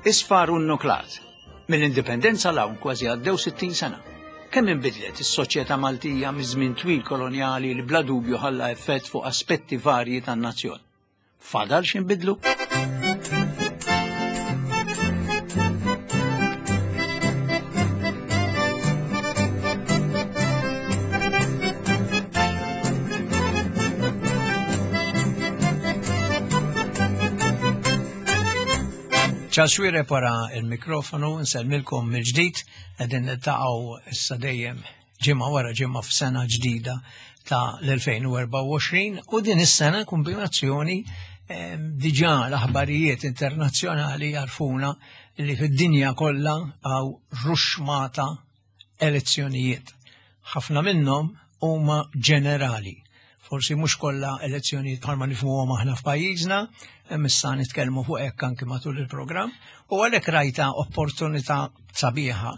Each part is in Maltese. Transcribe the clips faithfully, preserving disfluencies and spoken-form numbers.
Isfar u nuklat. Mill-indipendenza 'l hawn kważi għaddew sittin sena. Kemm inbidlet is-soċjetà Maltija miż-żmien twil kolonjali li bla dubju ħalla effett fuq aspetti varji tan-nazzjon. Fadal x'inbidlu? Charles Xuereb wara il-mikrofonu, nsellmilkom mill-ġdid, qegħdin niltaqgħu issa dejjem ġimgħa wara ġimgħa f'sena ġdida ta' l-elfejn u erbgħa u għoxrin, u din is-sena kombinazzjoni, ehm, diġà l-aħbarijiet internazzjonali jarfuna li fid-dinja kollha hawn ruxmata elezzjonijiet. Ħafna minnhom huma ġenerali. Forsi mhux kollha elezzjonijiet bħalma nifhmuhom aħna f'pajjiżna, hemm issa nitkellmu fuq hekk anki matul il-programm, u għalhekk rajta opportunità sabiħa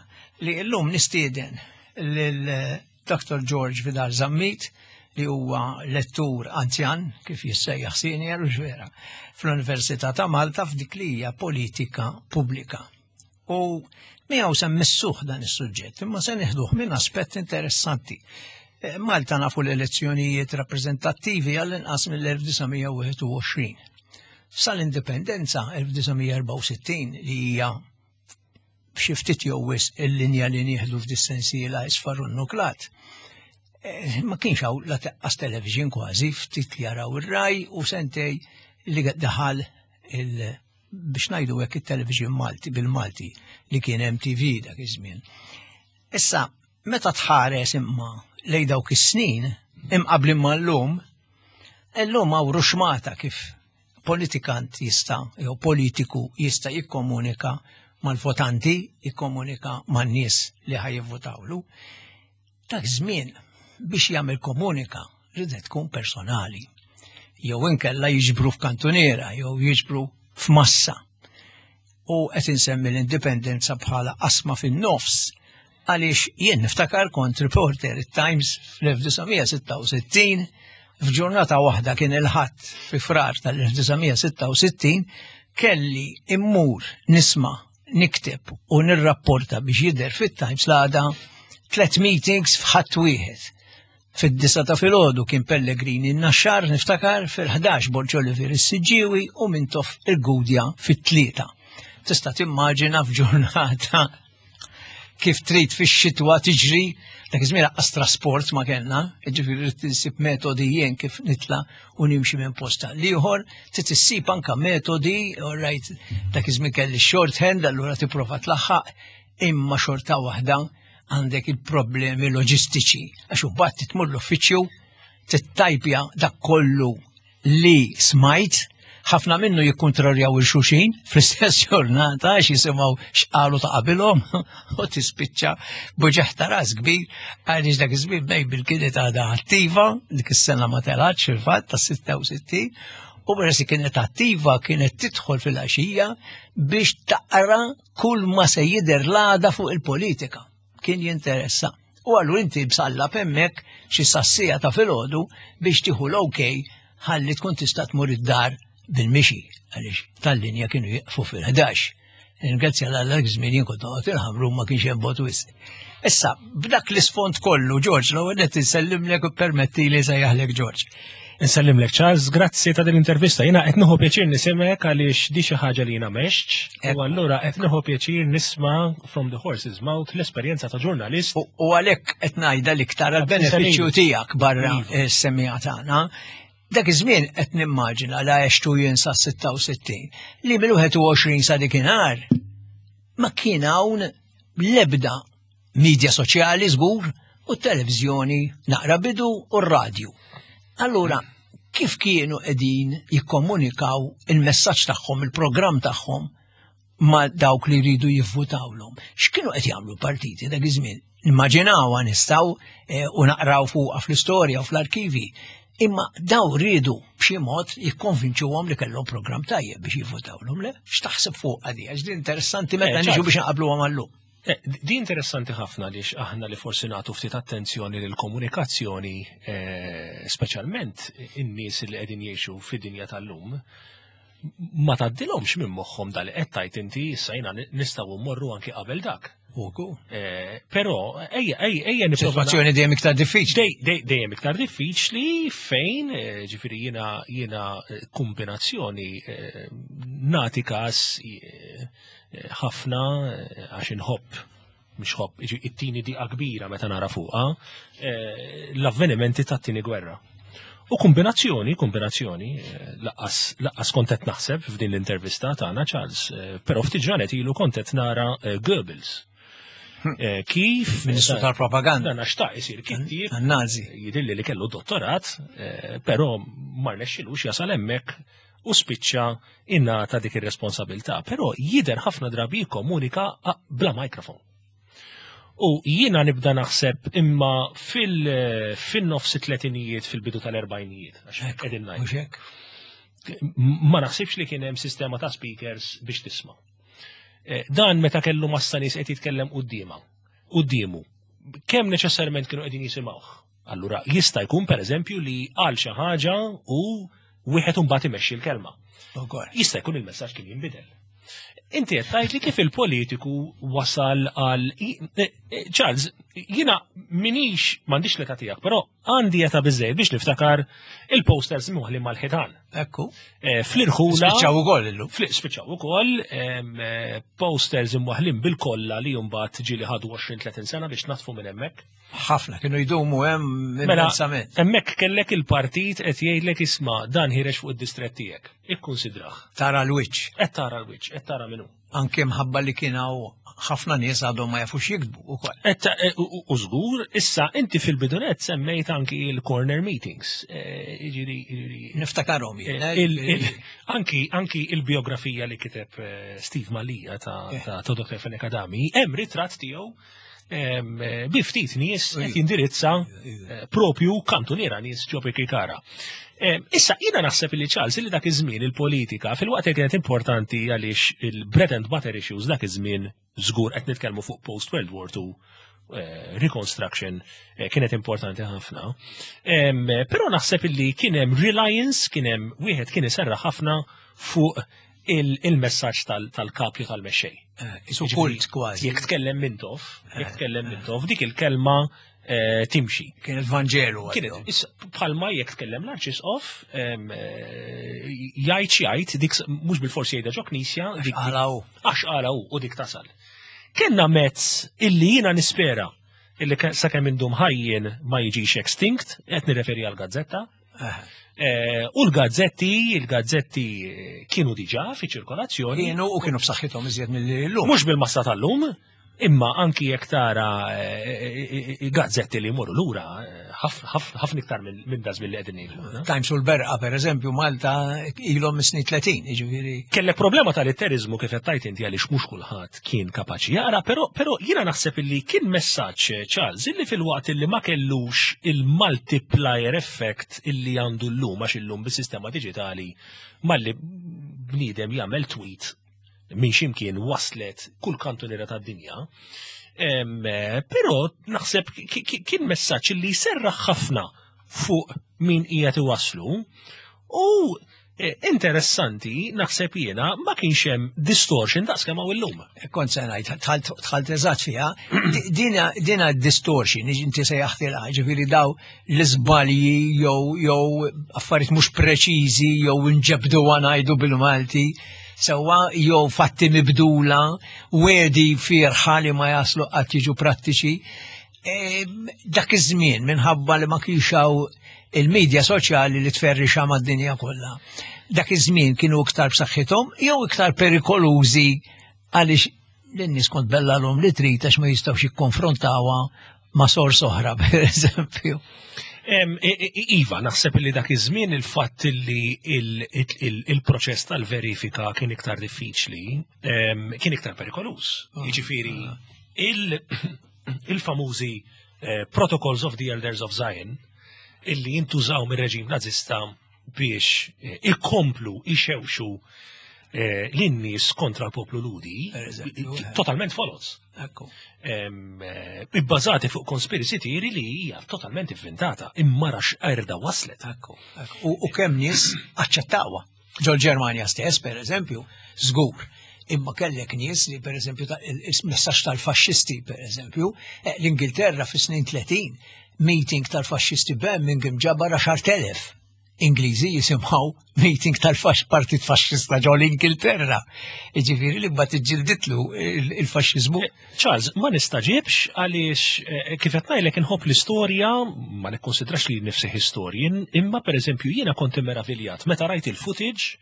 li llum nistieden lil Doctor George Vidal Zammit, li huwa lettur anzjan, kif jissejjaħ senior u ġvera, fl-Università ta' Malta f'dik li hija politika pubblika. U miegħu se mmissuh dan is-suġġett, imma se nieħduh minn aspett interessanti. Eh, Malta nafu l-elezzjonijiet rappreżentattivi għall-inqas mill-elf disa' mija u wieħed u għoxrin. Sal-indipendenza elf disa' mija erbgħa u sittin li hija b'xi ftit jew wisq il-linja li nieħdu f'dis-sensiela isfar u nuklat. Eh, ma kienx hawn la teqqas television kważi, ftit li jaraw ir-raj u sentej li daħal il biex ngħidu hekk it-television Malti bil-Malti li kien M T V dak iż-żmien. Issa, meta tħares imma lej dawk is-snin, imqablin mal-lum, illum hawn ruxmata kif politikant jista' jew politiku jista' jikkomunika mal-votanti, jikkomunika man-nies li ħajjivvotawlu. Dak żmien biex jagħmel komunika ridet tkun personali. Jew inkella jiġbru f'kantuniera, jew jiġbru f'massa. U qed insemmi l-indipendenza bħala qasma fin-nofs għaliex jien niftakar kont reporter it-Times fl-elf disa' mija sitta u sittin, f'ġurnata waħda kien il-Ħadd fi Frar tal-elf disa' mija sitta u sittin, kelli immur nisma' nikteb u nirrapporta biex jidher fit-Times l-għada tliet meetings f'ħadd wieħed. Fid-disa ta' filgħodu kien Pellegrini n-Naxxar niftakar, fil-ħdax Borg Olivier is-Siġġiewi u Mintoff il-Gudja fit-tlieta. Tista' timmaġina f'ġurnata kif trid fix-xitwa tiġri, dak iż-żmien lanqas trasport ma kellna, jiġifieri trid insib metodi jien kif nitla' u nimxi minn posta. L-ieħor trid issib anka metodi, all right, dak iż-żmien kelli shorthand, allura tipprova tlaħħaq, imma xorta waħda għandek il-problemi loġistiċi, għax imbagħad titmur l-uffiċċju, tittajpja dak kollu li smajt, ħafna minnu jikkontroljaw il-xuxin fl-istess ġurnata għax jisimgħu x'qalu ta' qabilhom u tispiċċa buġeħ ta' ras kbir għaliex dak iż-żmien Mabel kienet għadha attiva, dik is-sena ma telgħatx fil-fatt ta' sitta u sittin, u peress li kienet attiva kienet tidħol fil-għaxija biex taqra kull ma se jidher l-għada fuq il-politika. Kien jinteressa. U allura inti bsallab hemmhekk xi sassija ta' filgħodu biex tieħu l-okej ħalli tkun tista' tmur id-dar bil-mixi, għaliex tal-linja kienu jieqfu fil-ħdax. Ringrazzja l Alla żmien jien kont noqgħod il-Ħamrun ma kienx hemm bot wisq. Issa, b'dak l-isfond kollu, George, l-ewwel qed insellimlek u permetti li sejjaħlek George. Insellimlek Charles, grazzi ta' din l-intervista. Jiena qed nieħu pjaċir nisimgħek għaliex di xi ħaġa li jiena mexx, u Ekku. allura qed nieħu pjaċir nisma' from the horse's mouth l-esperjenza ta' ġurnalist. U, u għalhekk qed ngħidha l-iktar għall-benefiċċju Salim. tiegħek barra Iva. s-semmiegħa tagħna. Dak iż-żmien qed nimmaġina la għextu jien sa sitta u sittin li mill-wieħed u għoxrin sa dikinhar ma kien hawn l-ebda media soċjali żgur u t-televiżjoni naqra bidu u r-radju. Allura, kif kienu qegħdin jikkomunikaw il-messaġġ tagħhom, il-programm tagħhom ma' dawk li jridu jivvutawlhom? X'kienu qed jagħmlu partiti dak iż-żmien? Nimmaġinawha nistgħu, eh, u naqraw fuqha fl-istorja u fl-arkivi. Imma daw rridu b'xi mod jikkonvinċuhom li kellhom programm tajjeb biex jivvutawlhom, le? X'taħseb fuq għadi? Għax din interessanti meta Eh, niġu Charles. biex naqabluhom għallum. Eh, di interessanti ħafna għaliex aħna li forsi nagħtu ftit attenzjoni lill-komunikazzjoni, eh, speċjalment in-nies li qegħdin jgħixu fid-dinja tal-lum, Ma tgħaddilhomx minn moħħhom dal qed tajt inti. Issa jiena nistgħu mmorru anki qabel dak. Uku. Eh, Però ejja ejja ejja nipprova Situazzjoni dejjem iktar diffiċli. Dej, dej, dejjem iktar diffiċli fejn, eh, ġifieri jiena jiena eh, kombinazzjoni eh, nati kas eh, eh, ħafna eh, għax inħobb, mhux ħobb, iġi it-tieni diqa kbira meta nara fuqha eh, l-avvenimenti tat-tieni gwerra. U kombinazzjoni, kombinazzjoni, eh, lanqas lanqas kont qed naħseb f'din l-intervista tagħna, Charles, eh, però ftit ġranet ilu kont qed nara eh, Goebbels. Eh, Kif Ministru tal-propaganda. Dan xtaq isir kittieb. Nazi. Jidilli li kellu dottorat, eh, però ma rnexxilux jasal hemmhekk u spiċċa ingħata dik ir-responsabilità. Però jider ħafna drabi jikkomunika ah, bla mikrofon. U jiena nibda naħseb imma fil- fin-nofs tletinijiet, fil-bidu tal-erbajnijiet, għax qegħdin ngħid. Mhux hekk? Ma naħsibx li kien hemm sistema ta' speakers biex tisma'. Eh, Dan meta kellu massa nies qed jitkellem quddiema, quddiemu. Kemm neċessarjament kienu qegħdin jisimgħuh? Allura jista' jkun, pereżempju, li qal xi ħaġa u wieħed imbagħad imexxi l-kelma. Ukoll. Jista' jkun il-messaġġ kien jinbidel. Inti qed tgħid li kif il-politiku wasal għal i- eh, eh, Charles, jiena minix m'għandix l-età tiegħek, però għandi età biżejjed biex niftakar il-posters imwaħħlin mal-ħitan. Ekku. Eh, Fl-irħula. Spiċċaw ukoll illum. Fl- Spiċċaw ukoll em, eh, posters imwaħħlin bil-kolla li mbagħad ġieli ħadu għoxrin tletin sena biex natfu minn hemmhekk. Ħafna kienu jdumu hemm Mela, immensament. hemmhekk kellek il-partit qed jgħidlek, "Isma', dan ħiereġ fuq id-distrett tiegħek. Ikkunsidrah." Tara l-wiċċ. Qed tara l-wiċċ, qed tara minnu. Anke mħabba li kien hawn ħafna nies għadhom ma jafux jiktbu ukoll. Et, eh, U u żgur, issa inti fil-bidu nett semmejt anki il-corner meetings. Eh, Jiġifieri, jiġifieri, Niftakarhom jien. Eh, il- il- Anki anki il-biografija li kiteb eh, Steve Mallia ta' Eh. ta' ta' Doktor Fenech Adami, hemm ritratt tiegħu em, eh, bi ftit nies qed jindirizza eh, propju kantuniera nies ġo Birkirkara. Em, Issa, jiena naħseb li, Charles, li dak iż-żmien il-politika, fil-waqt li kienet importanti għaliex il-bread and butter issues dak iż-żmien, żgur qed nitkellmu fuq post World War Two eh, reconstruction, eh, kienet importanti ħafna. Em, Però naħseb illi kien hemm reliance, kien hemm wieħed kien iserra ħafna fuq il- il-messaġġ tal- tal-kapju tal-mexxej. Isu kult kważi. Jekk tkellem Mintoff, jekk tkellem Mintoff, dik il-kelma eh, timxi. Kien il-Vanġelu. Kienet, issa, bħalma jekk tkellem l-Arċisqof, em, eh, jgħid xi jgħid, dik s- mhux bil-forsi jgħidha ġo knisja, dik Għalaw. għax qala hu u dik tasal. Kenna mezz illi jiena nispera illi ke- sakemm indum ħajjin ma jiġix extinct, qed nirreferi għal gazzetta. Eh, U l-gazzetti, il-gazzetti eh, kienu diġà fi ċirkolazzjoni. Kienu u kienu b'saħħithom iżjed mill-lum. Mhux bil-massa tal-lum, imma anki jekk tara eh, eh, gazzetti li jmorru lura eh, ħafna iktar minn minn dażmin li qegħdin ngħidu. Times u l-Berqa, per eżempju, Malta ilhom snin tletin, jiġifieri. Kellek problema tal-litterizmu kif qed tajt inti għaliex mhux kulħadd kien kapaċi jaqra, però però jiena naħseb illi kien messaġġ, Charles, illi fil-waqt illi ma kellux il-multiplier effect illi għandu llum, għax illum bis-sistema diġitali malli bniedem jagħmel tweet minn ximkien waslet kull kantuniera tad-dinja. Em, eh, Però naħseb ki- ki- kien messaġġ illi jserraħ ħafna fuq min qiegħed iwaslu u eh, interessanti naħseb jiena ma kienx hemm distortion daqs kemm hawn illum. Kont se ngħid, dħalt dħalt eżatt fiha, di- dina dina distortion, inti sejjaħtilha, ġifieri daw l-iżbalji jew jew affarijiet mhux preċiżi jew nġebdu ngħidu bil-Malti, sewwa, jew fatti mibdula, wegħdi fiergħa li ma jaslu qatt jiġu prattiċi. E, dak iż-żmien minħabba li ma kienx hawn il-medja soċjali li tferrixa mad-dinja kollha. Dak iż-żmien kienu iktar b'saħħithom jew iktar perikolużi għaliex l-nies kont tbellagħlhom li trid għax ma jistgħux jikkonfrontawha ma' sors oħra, per eżempju? Em, i- i- Iva, naħseb li dak iż-żmien il-fatt li il- il- il-proċess tal-verifika kien iktar diffiċli, em, kien iktar perikoluż. Jiġifieri, il- il-famużi eh, Protocols of the Elders of Zion illi jintużaw mir-reġim nazista biex eh, ikomplu ixewxu eh, lin-nies kontra l-poplu Lhudi, Per eżempju, eh. totalment foloz, Ekku. em, eh, ibbażati fuq conspiracy theory li hija totalment inventata, imma rax erda waslet. Ekku. ekku. U, u kemm nies aċċettawha. Ġol-Ġermanja stess, per eżempju, żgur. Imma kellek nies li, per eżempju, il-messaġġ tal-faxxisti, per eżempju, eh, l-Ingilterra fis-snin tletin, meeting tal-faxxisti Birmingham ġabar għaxart elef Ingliżi jisimgħu meeting tal-partit faxxista ġol Ingilterra. Jiġifieri li mbagħad iġġilditlu il-faxxiżmu. Eh, Charles, ma nistaġibx għaliex eh, kif qed ngħidlek inħobb l-istorja, ma nikkonsidrax li nifsi historian, imma pereżempju jiena kont immeraviljat meta rajt il-footage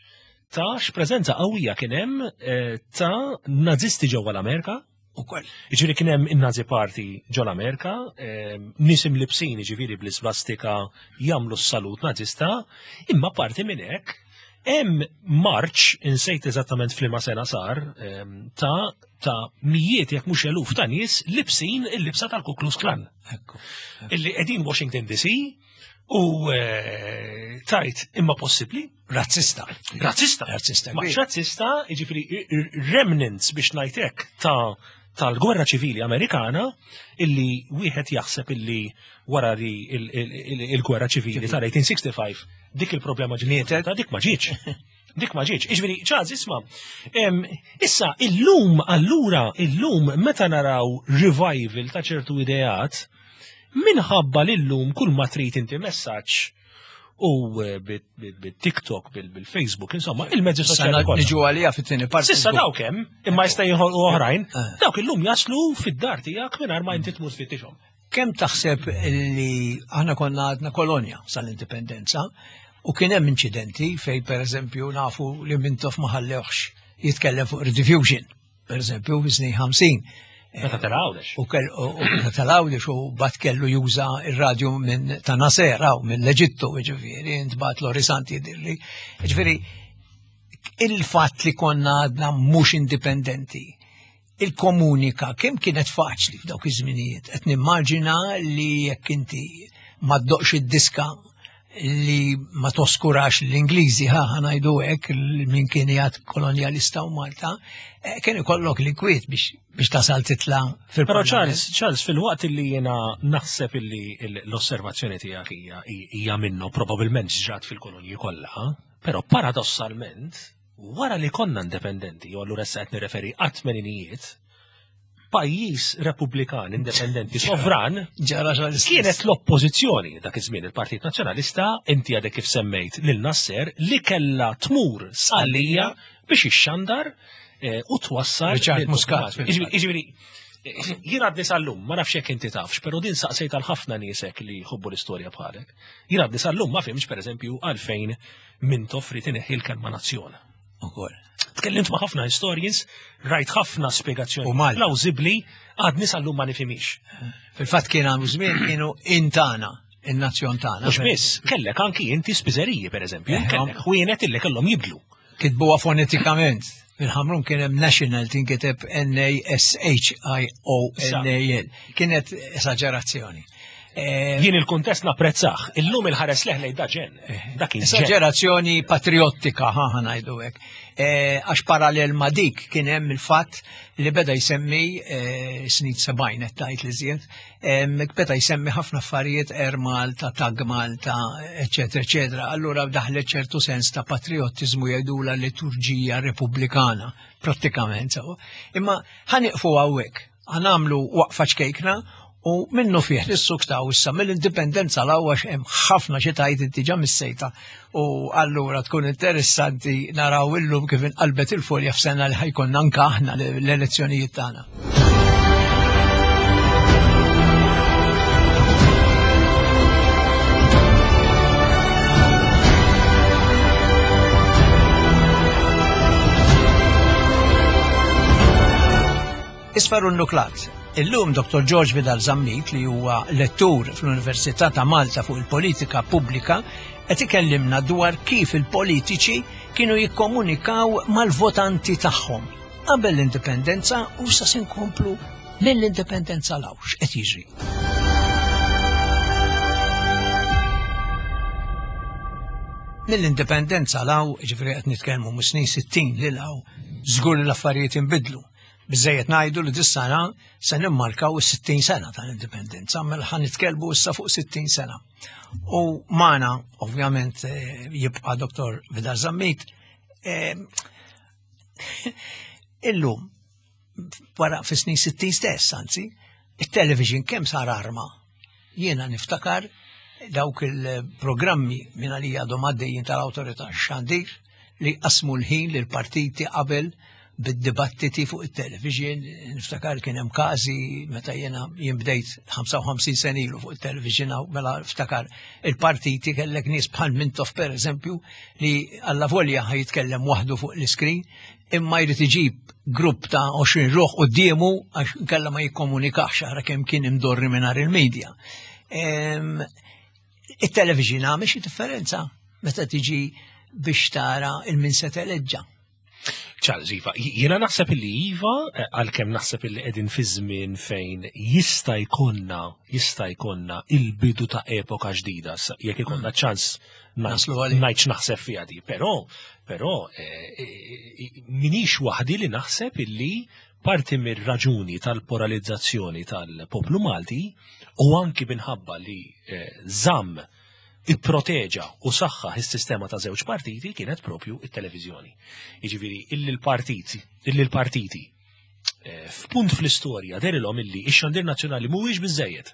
ta' x'preżenza qawwija kien hemm eh, ta' nazisti ġewwa l-Amerika. Ukoll. Jiġifieri kien hemm in-Nazi Party ġol Amerika, nies imlibsin jiġifieri bl-isvastika jagħmlu s-salut nazista, imma parti minn hekk hemm marċ insejt eżattament f'liema sena sar ta' ta' mijiet jekk mhux eluf ta' nies libsin il-libsa tal-Ku Klux Klan. Ekku. Illi qegħdin Washington D C u eh, tajt imma possibbli? Razzista. Razzista. Razzista. Ma razzista, jiġifieri remnants biex ngħidlek ta' tal-gwerra ċivili Amerikana illi wieħed jaħseb illi wara li il-gwerra ċivili tal-elf disa' mija u ħamsa u sittin dik il-problema ġiet, dik ma ġietx. Dik ma ġietx. Jiġifieri, Charles, isma', issa illum allura illum meta naraw revival ta' ċertu ideat, minħabba l-lum kull ma trid inti messaġġ u eh, bil-TikTok, bil-Facebook, insomma, il-mezzi soċjali. Niġu għalija fit-tieni parti. S'issa dawk hemm, imma jista' jinħolqu oħrajn, eh. dawk illum jaslu fid-dar tiegħek mingħajr ma inti tmur tfittixhom. Kemm taħseb li aħna konna għadna kolonja sal-indipendenza u kien hemm inċidenti fej, per eżempju, nafu li Mintoff ma ħallewx jitkellem fuq Rediffusion, per eżempju, fi snin ħamsin? Meta telgħawdex. U kell u meta telgħawdex u bat kellu juża ir-radju minn ta' Nasser u minn l-Eġittu, ġifieri, intbat Lorisanti jidhirli. Ġifieri, il-fatt li konna għadna mhux indipendenti, il-komunika kemm kienet faċli f'dawk iż-żminijiet? Qed nimmaġina li jekk inti ma ddoqx id-diska li ma toskurax l-Ingliżi, ħa ngħidu hekk, min kien jgħid kolonjalista u Malta, eh, kien ikollok l-inkwiet biex biex tasal titla fil Però Charles, Charles, fil-waqt li jena naħseb illi l-osservazzjoni tiegħek hija hija minnu, probabbilment ġrat fil-kolonji kollha, però paradossalment wara li konna indipendenti, u allura issa qed nirreferi għat-tmeninijiet, pajjiż repubblikan indipendenti sovran, Ġara. kienet l-oppożizzjoni dak iż-żmien, il-Partit Nazzjonalista, inti għadek kif semmejt lil Nasser, li kella tmur Sqallija biex ixxandar eh, u twassal Richard lil Muscat. Jiġifieri, jien għadni sal-lum, ma nafx jekk inti tafx, però din saqsejt għal ħafna niesek li jħobbu l-istorja bħalek. Jien għadni sal-lum ma fhimtx, pereżempju, għalfejn Mintoff ried ineħħi l-kelma nazzjon. Ukoll. Tkellimt ma' ħafna historians, rajt ħafna spjegazzjoni U Malta. plawzibli, għadni sal-lum ma nifhimix. Fil-fatt kien għamu żmien kienu intana, in-nazzjon tagħna. Mhux biss, kellek anki inti spiżeriji, per eżempju, Eh, kellek ħwienet illi kellhom jibdlu. Kitbuha fonetikament. Fil-Ħamrun kien hemm national tinkiteb N A S H I O N A L. Kienet esaġerazzjoni. Eh, Jien il-kuntest napprezzah, illum il-ħares leħ lejn daġen. Dak kien ġen. Esaġerazzjoni patriottika, ħa ħa ngħidu hekk. Eh, Għax parallel ma dik kien hemm il-fatt li beda jsemmi eh, snin sebgħin qed tgħid li żjed, em, beda jsemmi ħafna affarijiet, Air Malta, Tag Malta, eċetera, eċetera. Allura daħlet ċertu sens ta' patriottiżmu, jgħidula liturġija repubblikana, prattikament. So. Imma ħa nieqfu hawnhekk, ħa nagħmlu waqfa ċkejkna u minnu fih nissuktaw issa mill-indipendenza 'l hawn, hemm ħafna xi tgħid, inti ġa missejta, u allura tkun interessanti naraw illum kif inqalbet il-folja f'sena li ħa jkollna anke aħna l-elezzjonijiet tagħna. Isfar u Nuklat. Illum Doktor George Vidal Zammit, li huwa lettur fl-Università ta' Malta fuq il-politika pubblika, qed ikellimna dwar kif il-politiċi kienu jikkomunikaw mal-votanti tagħhom qabel l-indipendenza u sa se nkomplu mill-indipendenza 'l hawn x'qed jiġri. Mill-indipendenza 'l hawn, ġifieri qed nitkellmu mis-snin sittin lil hawn, żgur li l-affarijiet inbidlu. Biżejjed ngħidu li dis-sena se nimmarkaw is-sittin sena tal-indipendenza, mela ħa nitkellmu issa fuq sittin sena. U magħna, ovvjament, eh, jibqa' Doktor Vidal Zammit. Em, Illum, wara fis-snin sittin stess, anzi, il-television kemm sar arma. Jiena niftakar dawk il-programmi minn għalija għadhom għaddejjin tal-Awtorità Xandir li qasmu l-ħin lil partiti qabel bid-dibattiti fuq il-television. Niftakar kien hemm każi meta jiena jien bdejt ħamsa u ħamsin sena ilu fuq il-television, hawn, mela ftakar il-partiti, kellek nies bħal Mintoff, per eżempju, li alla volja ħa jitkellem waħdu fuq l-iskrin, imma jrid iġib grupp ta' għoxrin ruħ quddiemu għax kella ma jikkomunikax, ara kemm kien imdorri mingħajr il-medja. Em, Il-television għamel xi differenza meta tiġi biex tara il-min se teleġġa? Charles, iva, jiena naħseb illi iva, eh, għalkemm naħseb illi qegħdin fi żmien fejn jista' jkollna jista' jkollna il-bidu ta' epoka ġdida, sa- jekk ikollna ċans Naslu għalih. ngħid x'naħseb fiha di, però però eh, eh, minix waħdi li naħseb illi parti mir-raġuni tal-polarizzazzjoni tal-poplu Malti u anki minħabba li eh, żamm, ipproteġa u saħħaħ is-sistema ta' żewġ partiti kienet propju it-televiżjoni. Jiġifieri illi l-partiti, illi l-partiti eh, f'punt fl-istorja dehrilhom illi ix-xandir nazzjonali mhuwiex biżejjed.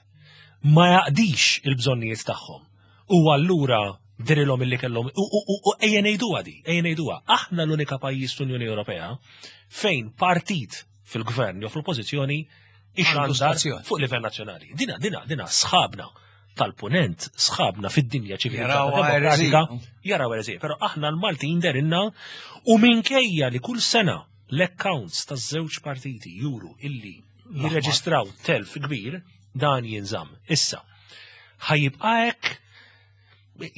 Ma jaqdix il-bżonnijiet tagħhom. U allura dehrilhom illi kellhom u u- u- u ejja ngħiduha di, ejja ngħiduha. Aħna l-unika pajjiż fl-Unjoni Ewropea fejn partit fil-gvern jew fl-oppożizzjoni ixandar stazzjon. fuq livell nazzjonali. Dina, dina, dina sħabna tal-punent, sħabna fid-dinja ċivili Jaraw demokratika, erezija. Jaraw erezija, però aħna l-Maltin dehrilna u minkejja li kull sena l-accounts taż-żewġ partiti juru illi jirreġistraw telf kbir, dan jinżamm. Issa, ħa jibqa' hekk?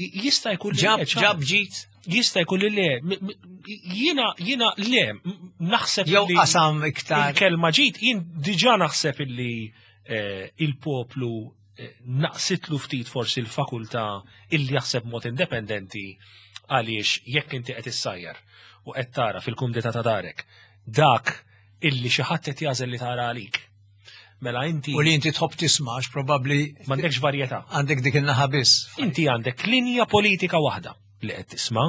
Jista' jkun li Ġab, le, ċar. Ġab ġit, Jista' jkun li le, M- m- jiena jiena le, m- naħseb jew li qasam iktar. Il-kelma ġid, jien diġà naħseb illi eh, il-poplu eh, naqsitlu ftit forsi l-fakultà illi jaħseb mod indipendenti, għaliex jekk inti qed issajjar u qed tara fil-kumdità ta' darek dak illi xi ħadd qed jagħżel li tara għalik. Mela inti U li inti tħobb tisma', għax probabbli m'għandekx varjetà. għandek dik il-naħa biss. Inti għandek linja politika waħda li qed tisma',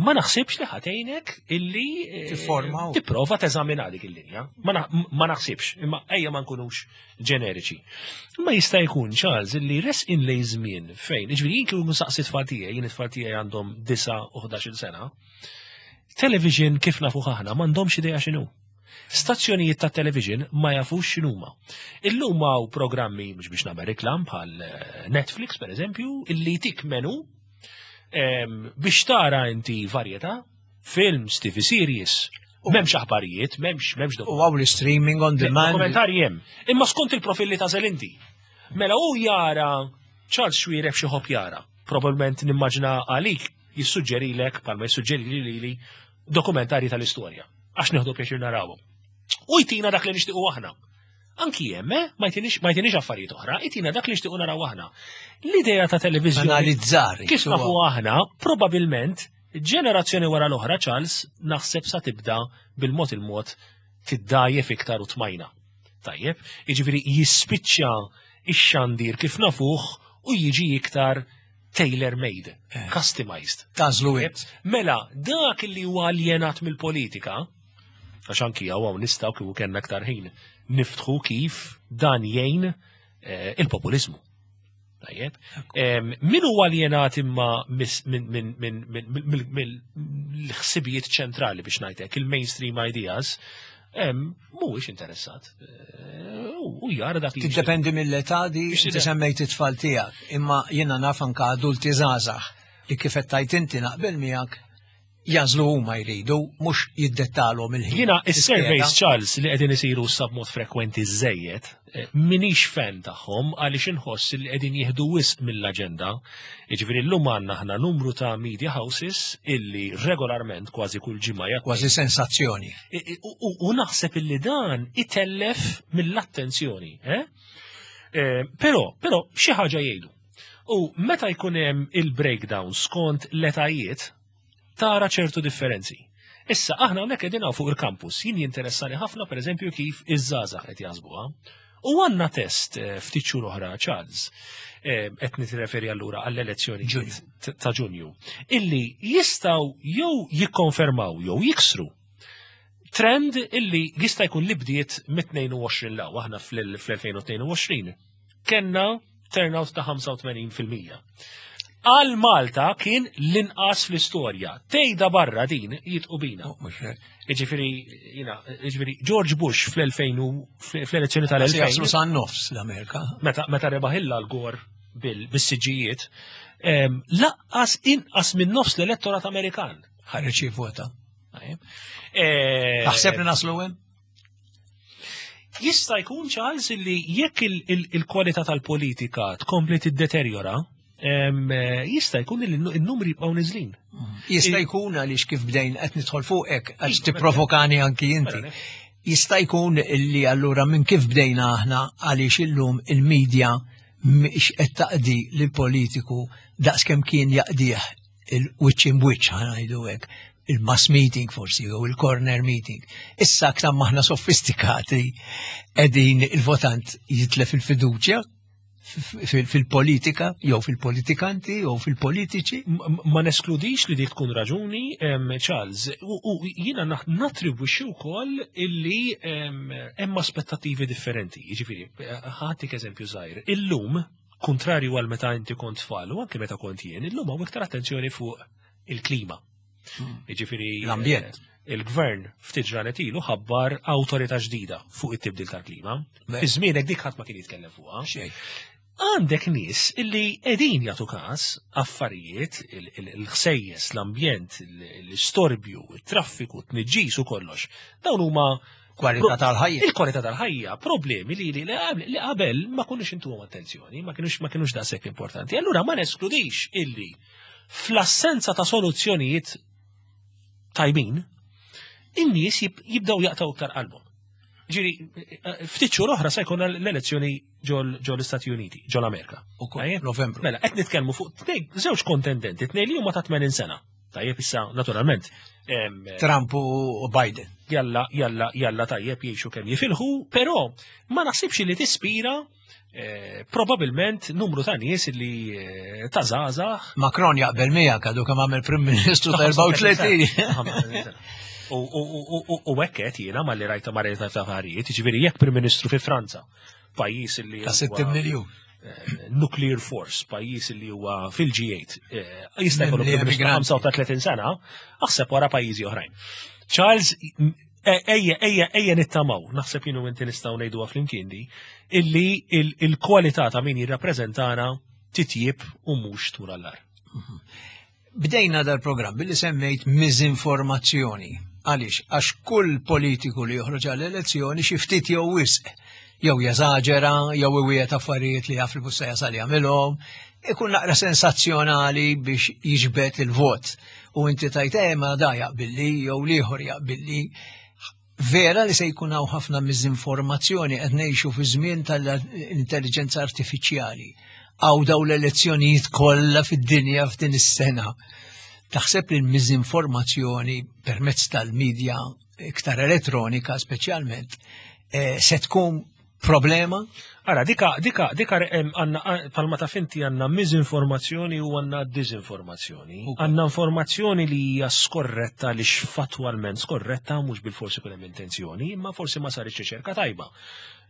ma naħsibx li ħa tgħinek illi eh, Tifforma u- tipprova teżamina dik il-linja. Ma na- ma naħsibx, imma ejja ma nkunux ġeneriċi. Ma jista' jkun, Charles, illi resqin lejn żmien fejn, jiġifieri jien kieku nsaqsi tfal tiegħi, jien it-tfal tiegħi għandhom disa u ħdax-il sena, television kif nafu aħna m'għandhomx idea x'inhu. Stazzjonijiet ta' television ma jafux x'inhuma. Illum hawn programmi, mhux biex nagħmel reklam, bħal eh, Netflix per eżempju, illi tik menu em, biex tara inti varjetà, films, T V series, m'hemmx aħbarijiet, m'hemmx m'hemmx U hawn l-streaming on demand. Dokumentarji hemm. Imma skont il-profilli ta' inti. Mela u jara Charles Xuereb xi ħobb jara. Probabilment nimmaġina għalik jissuġġerilek palma jissuġġeri li li dokumentari tal-istorja. Għax nieħdu pjaċir narawhom. U jtina dak li nixtiequ aħna. Anki hemm, eh, ma jtinix ma jtinix affarijiet oħra, jtina dak li nixtiequ naraw aħna. L-idea ta' televiżjoni Analizzar. kif nafu aħna, probabilment ġenerazzjoni wara l-oħra, Charles, naħseb sa tibda bil-mod il-mod tiddajjef iktar u tmajna. Tajjeb, jiġifieri jispiċċa ix-xandir kif nafuh u jiġi iktar tailor-made, customized. Tagħżlu int. Mela, dak li huwa aljenat mill-politika, għax anki hawn nistgħu, kieku kellna aktar ħin, niftħu kif dan jgħin eh, il-populizmu. Tajjeb. Em, Min huwa aljenat imma mis- minn min, min, min, min, mill-ħsibijiet ċentrali, biex ngħidlek, il-mainstream ideas, em, mhuwiex interessat. Eh, U u jara dak li Tiddependi mill-età di, Biex inti semmejt it-tfal tiegħek, imma jiena naf anka adulti żgħażagħ li kif qed tgħid inti, naqbel miegħek, jagħżlu huma jridu, mhux jiddettalhom il-ħin. Jiena is-surveys, Charles, li qegħdin isiru sa b'mod frekwenti żejjed, eh, minix fan tagħhom għaliex inħoss li qegħdin jieħdu wisq mill-aġenda. Jiġifieri llum għandna aħna numru ta' media houses illi regolarment, kważi kull ġimgħa, jagħtu Kważi sensazzjoni. I- i- U u naħseb illi dan itellef mill-attenzjoni. Eh? Eh, Però, però, xi ħaġa jgħidu. U meta jkun hemm il-breakdown skont l-etajiet, tara ċertu differenzi. Issa, aħna hawnhekk qegħdin hawn fuq il-campus, jien jinteressani ħafna, pereżempju, kif iż-żgħażagħ qed jaħsbuha. U għandna test eh, ftit xhur oħra, Charles, eh, qed nirreferi allura għall-elezzjoni Ġunju. ta' Ġunju, illi jistgħu jew jikkonfermaw jew jiksru trend illi jista' jkun li bdiet mit-tnejn u għoxrin 'l hawn. Aħna fl-elfejn u tnejn u għoxrin kellna turnout ta' ħamsa u tmenin fil-mija. Għal Malta kien l-inqas fl-istorja. Tejda barra din jitqu bina. Oh, mhux hekk. Iġifieri, jina, iġifieri, George Bush fl-elfejn u- fl-elezzjoni Se jaslu tal-elfejn, sa' nofs l-Amerika. meta, meta rebaħ Al Gore bil- bis-siġijiet, em, lanqas inqas minn nofs l-elettorat Amerikan. Ħareġ jivvota. Tajjeb. Eh, Taħseb li naslu hemm? Jista' jkun, Charles, li jekk il- il- il-kwalità tal-politika tkompli tiddeterjora, em, eh, jista' jkun li n-numri jibqgħu niżlin. Jista' jkun, għaliex kif bdejn qed nidħol fuqek għax tipprovokani anki inti. Mela, Jista' jkun li allura minn kif bdejna aħna, għaliex illum il-medja mhix qed taqdi lil politiku daqskemm kien jaqdih il-wiċċ imwiċċ, ħa ngħidu hekk, il-mass meeting forsi jew il-corner meeting. Issa aktar maħna sofistikati qegħdin il-votant jitlef il-fiduċja fil-politika jew fil-politikanti jew fil-politiċi. M- Ma neskludix li dik tkun raġuni, em, Charles, u u jiena naħ- nattribwixxi wkoll illi em, hemm aspettattivi differenti. Jiġifieri, ħa ntik eżempju żgħir. Illum, kontrarju għal meta inti kont tfal u anke meta kont jien, illum hawn iktar attenzjoni fuq il-klima. Jiġifieri, L-ambjent. eh, il-gvern ftit ġranet ilu ħabbar awtorità ġdida fuq it-tibdil tal-klima. Beh. Fi żmienek dik ħadd ma kien jitkellem fuqha. Xejn. Għandek nies illi qegħdin jagħtu każ affarijiet, il- il- il-ħsejjes, l-ambjent, il- l-istorbju, il-traffiku, t-tniġġis u kollox. Dawn huma Kwalità tal-ħajja. Il-kwalità tal-ħajja, problemi li li li qabel ma konniex intuhom attenzjoni, ma kienux ma kienux daqshekk importanti. Allura ma neskludix illi fl-assenza ta' soluzzjonijiet tajbin, in-nies jib- jibdew jaqtaw iktar qalbhom. Ġiri, ftit xhur oħra se jkun l-elezzjoni ġol ġol l-Istati Uniti, ġol Amerika. Ukoll, Tajjeb? Novembru. Mela, qed nitkellmu fuq tnejn, żewġ kontendenti, tnejn li huma ta' tmenin sena. Tajjeb, issa, naturalment. em, Trump u Biden. Jalla, jalla, jalla tajjeb jgħixu kemm jifilħu, però ma naħsibx li tispira eh, probabilment numru ta' nies li eh, ta' żgħażagħ. Macron jaqbel miegħek, għadu kemm għamel Prim Ministru ta' erbgħa u tletin. U u- u- u hekk qed jiena malli rajta ma rajta ta' affarijiet, jiġifieri jekk Prim Ministru fi Franza, pajjiż li Ta' huwa, sittin miljun. eh, nuclear force, pajjiż li huwa fil-G eight, eh, jista' jkollu Mimli Prim Ministru ta' immigranti. ħamsa u tletin sena, aħseb wara pajjiżi oħrajn. Charles, eh, ejja, ejja, ejja nittamaw, naħseb jien u inti nistgħu ngħiduha flimkien di, illi il- il-kwalità ta' min jirrappreżentana titjib u mhux tmur għall-agħar. Bdejna dal-programm billi semmejt miżinformazzjoni. Għaliex? Għax kull politiku li joħroġ għall-elezzjoni xi ftit jew wisq, jew jeżaġera, jew iwiegħed affarijiet li jaf li mhux se jasal jagħmilhom, ikun naqra sensazzjonali biex jiġbed il-vot. U inti tajt eh ma da jaqbilli jew l-ieħor jaqbilli. Vera li se jkun hawn ħafna miżinformazzjoni, qed ngħixu fi żmien tal-intelligenza artifiċjali. Hawn daw l-elezzjonijiet kollha fid-dinja f'din is-sena. Taħseb li l-miżinformazzjoni permezz tal-medja iktar elettronika speċjalment eh, se tkun problema? Ara, dika, dika, dika, em, għandna, palma ta' finti għandna miżinformazzjoni u għandna dizinformazzjoni. Ukoll. Għandna informazzjoni li hija skorretta li fatwalment skorretta, mhux bil-forsi kull hemm intenzjoni, imma forsi ma saritx riċerka tajba.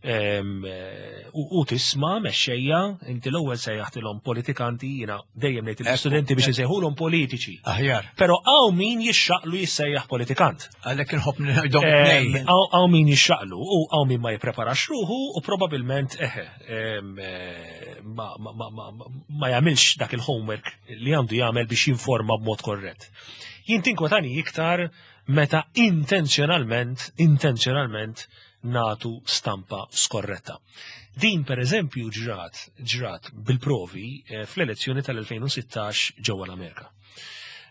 Em, eh, U u tisma' mexxejja, inti l-ewwel sejjaħtilhom politikanti, jiena dejjem ngħid l-istudenti biex isejħulhom politiċi. Aħjar. Però hawn min jixxaqlu jissejjaħ politikant. Għalhekk inħobb ngħidhom Em, tnejn. Hawn min jixxaqlu u hawn min ma jippreparax ruħu u probabilment eħe em, eh, ma, ma, ma, ma, ma jagħmilx dak il-homework li għandu jagħmel biex jinforma b'mod korrett. Jien tinkwetani iktar meta intenzjonalment, intenzjonalment nagħtu stampa skorretta. Din per eżempju ġrat, ġrat bil-provi eh, fl-elezzjoni tal-elfejn u sittax ġewwa l-Amerika.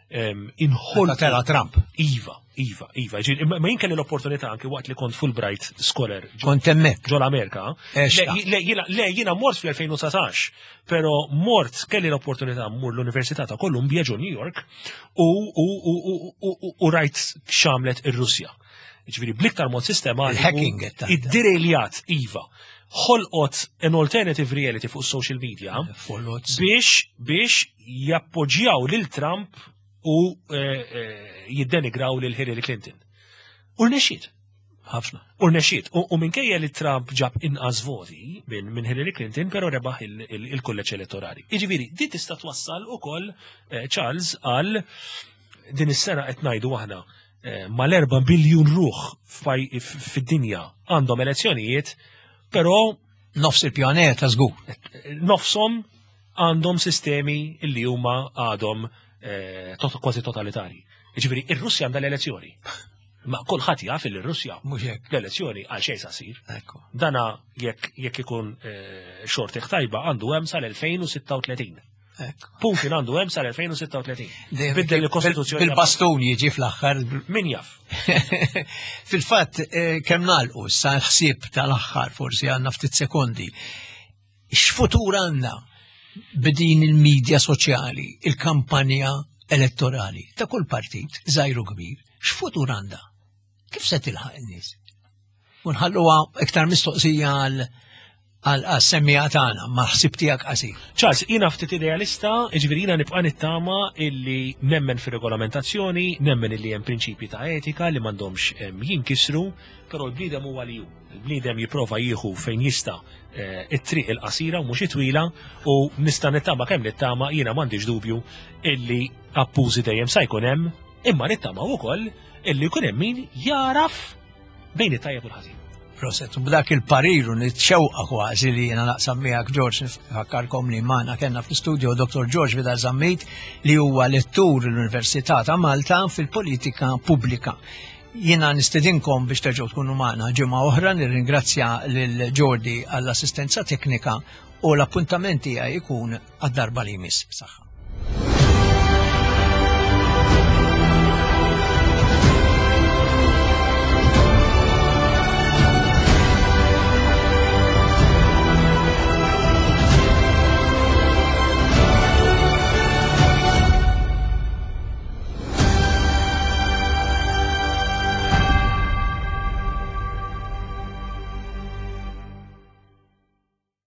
Em, Inħol Meta tela Trump. Iva, Iva, Iva. Ġi- Ma ma jien kelli l-opportunità anki waqt li kont Fulbright Scholar ġo Kont hemmhekk. ġo l-Amerika. Eċta. Le, le, jiena- le, jiena mort fl-elfejn u dsatax, pero mort kelli l-opportunità mmur l-Università ta' Columbia ġo New York u, u, u, u, u, u, u rajt x'għamlet ir-Russja. Ġifieri bl-iktar mod sistematiku. Il-hacking qed tgħid. Id-direjljat, iva. Ħolqot an alternative reality fuq social media Follows. biex biex jappoġġjaw lil Trump u eh, eh, jiddenigraw lil Hillary Clinton. U rnexxiet. Ħafna. U rnexxiet. U, u minkejja li Trump ġab inqas voti minn min Hillary Clinton, però rebaħ il-kulleġġ elettorali. Jiġifieri, di tista' twassal ukoll eh, Charles, għal din is-sena qed ngħidu aħna eh, mal-erba' biljun ruħ f'paj- f- fid-dinja għandhom elezzjonijiet, però Nofs il-pjaneta żgur. Nofsom għandhom sistemi illi huma għadhom eh, tot kważi totalitari. Jiġifieri, ir-Russja għandha l-elezzjoni. Ma kulħadd jaf li r-Russja Mhux hekk. l-elezzjoni għal xejn sa ssir. Ekku. Dana jekk jekk ikun eh, xortih tajba għandu hemm sal-elfejn u sitta u tletin. Ekku. Putin għandu hemm sal-elfejn u sitta u tletin. Dejjem Biddel il-Kostituzzjoni. Bil-bastun jiġi fl-aħħar. Min jaf? Fil-fatt, eh, kemm nagħlqu sa l-ħsieb tal-aħħar, forsi għandna ftit sekondi. X'futur għandna b'din il-medja soċjali, il-kampanja elettorali ta' kull partit, żgħir u kbir, x'futur għandha? Kif se tilħaq in-nies? U nħalluha iktar mistoqsija għal għal semmiegħa tagħna, ma ħsib tiegħek qasir. Charles, jiena ftit idealista, ġifieri jiena nibqa' nittama illi nemmen fir-regolamentazzjoni, nemmen illi hemm prinċipji ta' etika li m'għandhomx em, jinkisru, però l-bniedem huwa li hu. Il-bniedem jipprova jieħu fejn jista' eh, it-triq il-qasira u mhux it-twila, u nista' nittama kemm nittama, jiena m'għandix dubju illi abbużi dejjem sa jkun hemm, imma nittama wkoll illi jkun hemm min jaraf bejn it-tajjeb u l-ħażin. Proset, u b'dak il-pariru nitxewqa kważi li jiena naqsam miegħek, George, nfakkarkom li magħna kellna fl-studio Doktor George Vidal Zammit, li huwa lettur l-Università ta' Malta fil-politika pubblika. Jiena nistedinkom biex terġgħu tkunu magħna ġimgħa oħra, nirringrazzja lil Jordi għall-assistenza teknika u l-appuntament tiegħi jkun għad-darba li jmiss. Saħħa.